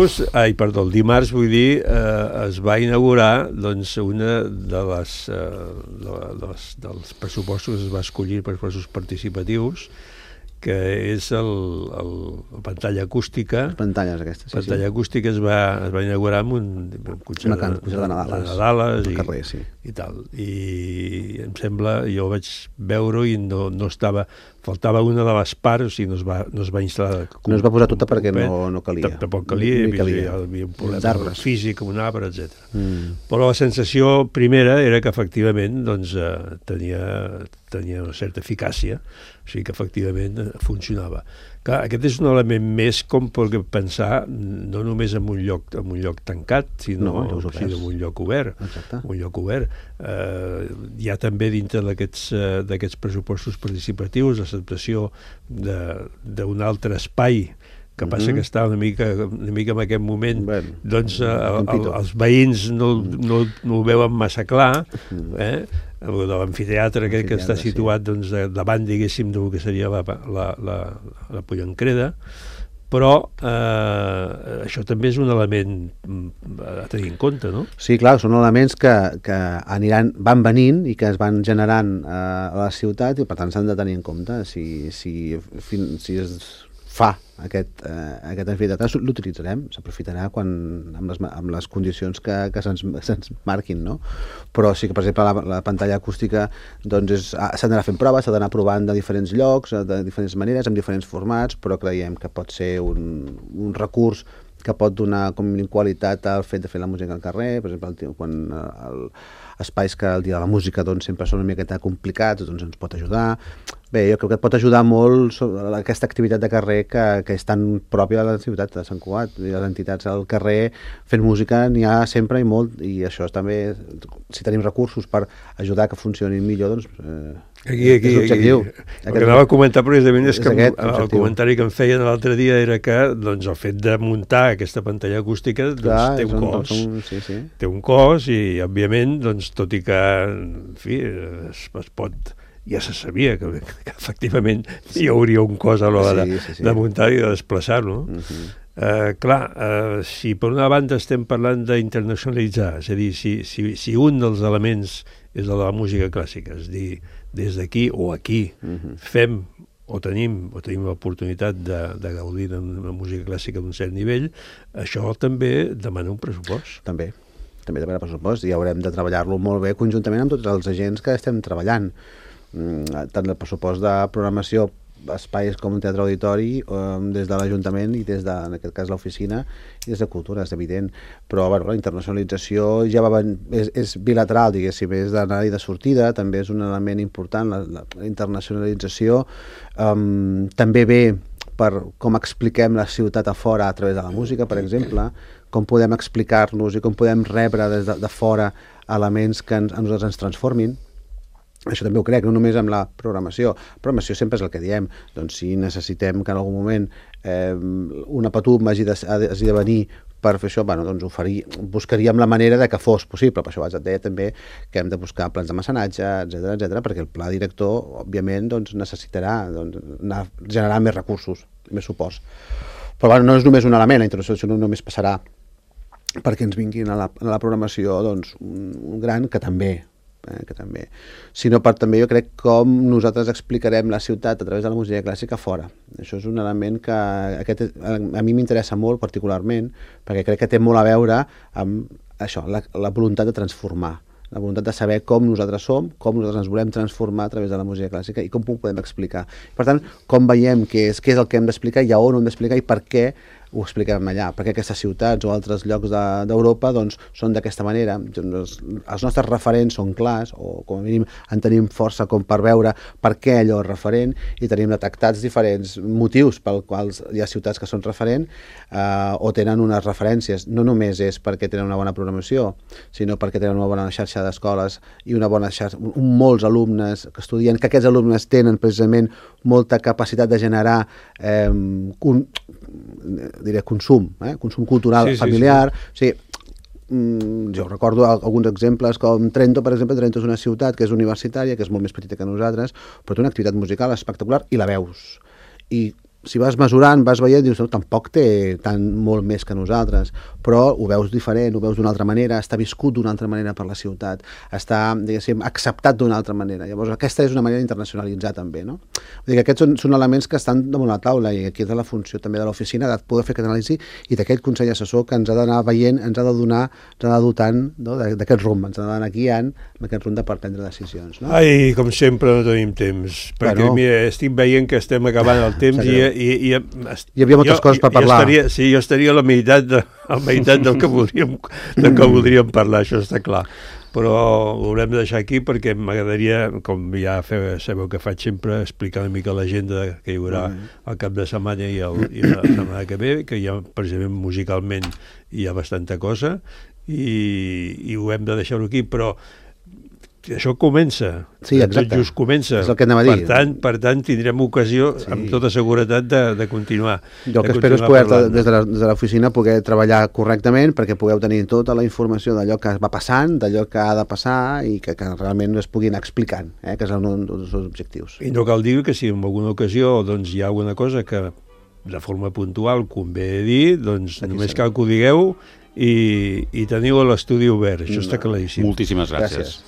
El dimarts, vull dir, es va inaugurar doncs, una dels pressupostos que es va escollir per pressupostos participatius, que és la pantalla acústica. Les pantalles aquestes, sí. Pantalla acústica es va inaugurar amb un concert de Nadales carrer, sí. I tal. I em sembla, jo vaig veure-ho i no estava... Faltava una de les parts, o sigui, no es va instal·lar... No es va posar tota perquè no calia. Tampoc calia, hi havia un problema físic amb un arbre, etc. Però la sensació primera era que efectivament tenia una certa eficàcia, o sigui que efectivament funcionava. Clar, aquest és un element més com per pensar no només en un lloc tancat, sinó en un lloc obert. Un lloc obert. Hi ha també dintre d'aquests pressupostos participatius l'acceptació d'un altre espai, que passa que està una mica en aquest moment, doncs els veïns no ho veuen massa clar, de l'amfiteatre que està situat davant, diguéssim, del que seria la Pollancreda, però això també és un element a tenir en compte, no? Sí, clar, són elements que van venint i que es van generant a la ciutat i per tant s'han de tenir en compte. Si es fa aquest amfiteatre, l'utilitzarem, s'aprofitarà amb les condicions que se'ns marquin, no? Però sí que, per exemple, la pantalla acústica s'ha d'anar fent proves, s'ha d'anar provant de diferents llocs, de diferents maneres, amb diferents formats, però creiem que pot ser un recurs que pot donar com a qualitat al fet de fer la música al carrer. Per exemple, quan espais que el dia de la música sempre són una miqueta complicats, doncs ens pot ajudar. Bé, jo crec que et pot ajudar molt aquesta activitat de carrer que és tan pròpia de la ciutat de Sant Cugat. Les entitats al carrer fent música n'hi ha sempre i molt, i això també, si tenim recursos per ajudar que funcionin millor, doncs és l'objectiu. El que anava a comentar precisament és que el comentari que em feien l'altre dia era que el fet de muntar aquesta pantalla acústica té un cost. Té un cost i, òbviament, tot i que, en fi, es pot... Ja se sabia que efectivament hi hauria un cost a l'hora de muntar i de desplaçar-lo. Clar, si per una banda estem parlant d'internacionalitzar, és a dir, si un dels elements és el de la música clàssica, és a dir, des d'aquí o aquí fem o tenim l'oportunitat de gaudir d'una música clàssica d'un cert nivell, això també demana un pressupost. També. també depèn del pressupost, i haurem de treballar-lo molt bé conjuntament amb tots els agents que estem treballant. Tant el pressupost de programació, espais com un teatre auditori, des de l'Ajuntament i des de, en aquest cas, l'oficina, i des de Cultura, és evident. Però la internacionalització ja és bilateral, diguéssim, és d'anar i de sortida, també és un element important, la internacionalització. També ve per com expliquem la ciutat a fora a través de la música, per exemple, com podem explicar-nos i com podem rebre des de fora elements que a nosaltres ens transformin. Això també ho crec, no només amb la programació. Programació sempre és el que diem. Doncs si necessitem que en algun moment una Patum hagi de venir per fer això, doncs buscaríem la manera de que fos possible. Per això et deia també que hem de buscar plans de mecenatge, etc, perquè el pla director, òbviament, necessitarà generar més recursos, més suports. Però no és només un element, la internacionalització no només passarà perquè ens vinguin a la programació un gran que també, sinó per també jo crec com nosaltres explicarem la ciutat a través de la música clàssica fora. Això és un element que a mi m'interessa molt particularment, perquè crec que té molt a veure amb això, la voluntat de transformar, la voluntat de saber com nosaltres som, com nosaltres ens volem transformar a través de la música clàssica i com ho podem explicar. Per tant, com veiem què és el que hem d'explicar i a on ho hem d'explicar i per què ho expliquem allà, perquè aquestes ciutats o altres llocs d'Europa són d'aquesta manera. Els nostres referents són clars, o com a mínim en tenim força com per veure per què allò és referent, i tenim detectats diferents motius pels quals hi ha ciutats que són referent o tenen unes referències. No només és perquè tenen una bona programació, sinó perquè tenen una bona xarxa d'escoles i una bona xarxa, molts alumnes que estudien, que aquests alumnes tenen precisament molta capacitat de generar consum cultural familiar. Sí. Jo recordo alguns exemples com Trento, per exemple. Trento és una ciutat que és universitària, que és molt més petita que nosaltres, però té una activitat musical espectacular i la veus. I si vas mesurant, vas veient, dius, no, tampoc té molt més que nosaltres, però ho veus diferent, ho veus d'una altra manera, està viscut d'una altra manera per la ciutat, està, diguéssim, acceptat d'una altra manera. Llavors, aquesta és una manera d'internacionalitzar també, no? Vull dir que aquests són elements que estan damunt la taula, i aquí és la funció també de l'oficina de poder fer aquest anàlisi i d'aquest consell assessor que ens ha d'anar veient, ens ha de donar, ens ha de dotant d'aquest rumb, ens ha d'anar guiant amb aquest rumb per prendre decisions, no? Ai, com sempre no tenim temps, perquè mira, estic veient que estem acabant el temps i hi havia moltes coses per parlar. Jo estaria a la meitat del que voldríem parlar, això està clar. Però ho haurem de deixar aquí perquè m'agradaria, com ja sabeu que faig sempre, explicar una mica l'agenda que hi haurà el cap de setmana i la setmana que ve, que ja precisament musicalment hi ha bastanta cosa i ho hem de deixar-ho aquí, però això comença, tot just comença. És el que anem a dir. Per tant, tindrem ocasió, amb tota seguretat, de continuar. Jo el que espero és poder, des de l'oficina, poder treballar correctament perquè pugueu tenir tota la informació d'allò que va passant, d'allò que ha de passar i que realment es puguin anar explicant, que és un dels objectius. I no cal dir que si en alguna ocasió hi ha alguna cosa que de forma puntual convé dir, doncs només cal que ho digueu i teniu l'estudi obert, això està claríssim. Moltíssimes gràcies.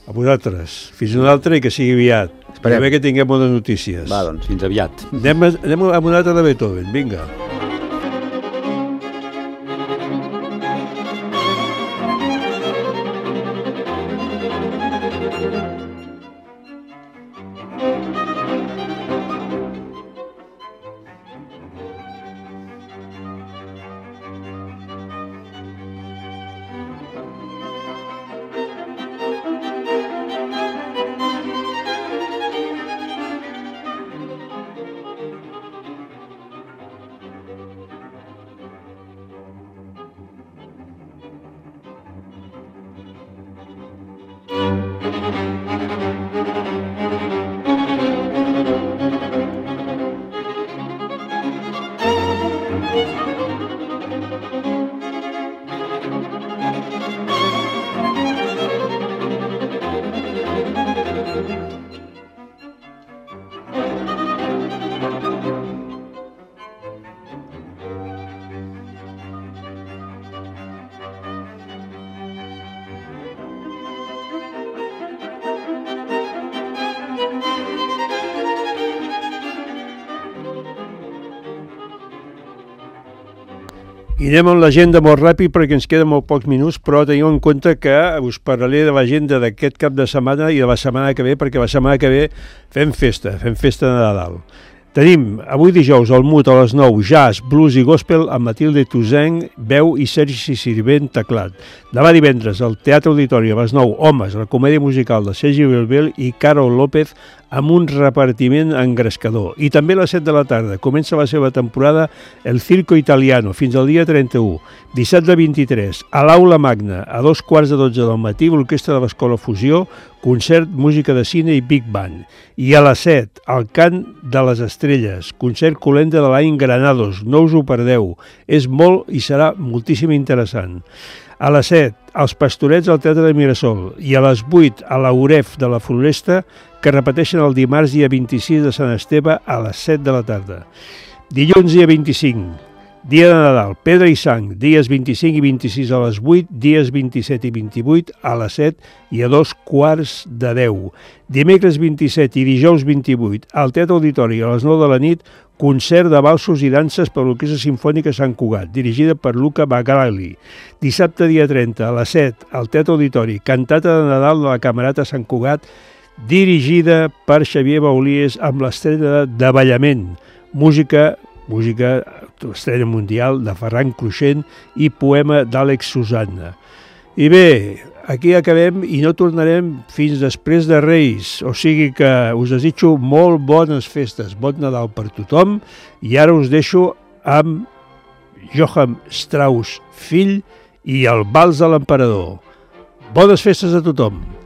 A vosaltres. Fins una altra i que sigui aviat. Esperem que tinguem bones notícies. Va, doncs. Fins aviat. Anem a una altra de Beethoven. Vinga. I anem amb l'agenda molt ràpid perquè ens queden molt pocs minuts, però teniu en compte que us parlaré de l'agenda d'aquest cap de setmana i de la setmana que ve, perquè la setmana que ve fem festa de Nadal. Tenim avui dijous al Mut a les 9 jazz, blues i gospel amb Matilde Toussaint, veu i Sergi Sirvent, teclat. Demà divendres al Teatre Auditori a les 9 Homes, la comèdia musical de Sergi Belbel i Carol López amb un repartiment engrescador. I també a les 7 de la tarda comença la seva temporada El Circo Italiano fins al dia 31. Dissabte 23 a l'Aula Magna a 2:15 del matí l'Orquestra de l'Escola Fusió, concert, música de cine i Big Band. I a les 7 al Cant de les Estrelles, concert Colenda de l'any Granados, no us ho perdeu. És molt i serà moltíssim interessant. A les 7, als Pastorets al Teatre de Mirasol i a les 8 a la UREF de la Floresta, que repeteixen el dimarts dia 26 de Sant Esteve a les 7 de la tarda. Dilluns dia 25, dia de Nadal, Pedra i Sang, dies 25 i 26 a les 8, dies 27 i 28 a les 7 i a 2:15. Dimecres 27 i dijous 28 al Teatre Auditori a les 9 de la nit, concert de valsos i danses per l'Orquestra Simfònica Sant Cugat, dirigida per Luca Bagrali. Dissabte dia 30 a les 7 al Teatre Auditori, cantata de Nadal de la Camerata Sant Cugat, dirigida per Xavier Baulies amb l'estrena d'Avellament, música estrena mundial de Ferran Cruixent i poema d'Àlex Susanna. I bé, aquí acabem i no tornarem fins després de Reis, o sigui que us desitjo molt bones festes, bon Nadal per tothom, i ara us deixo amb Johann Strauss fill i el Vals de l'Emperador. Bones festes a tothom!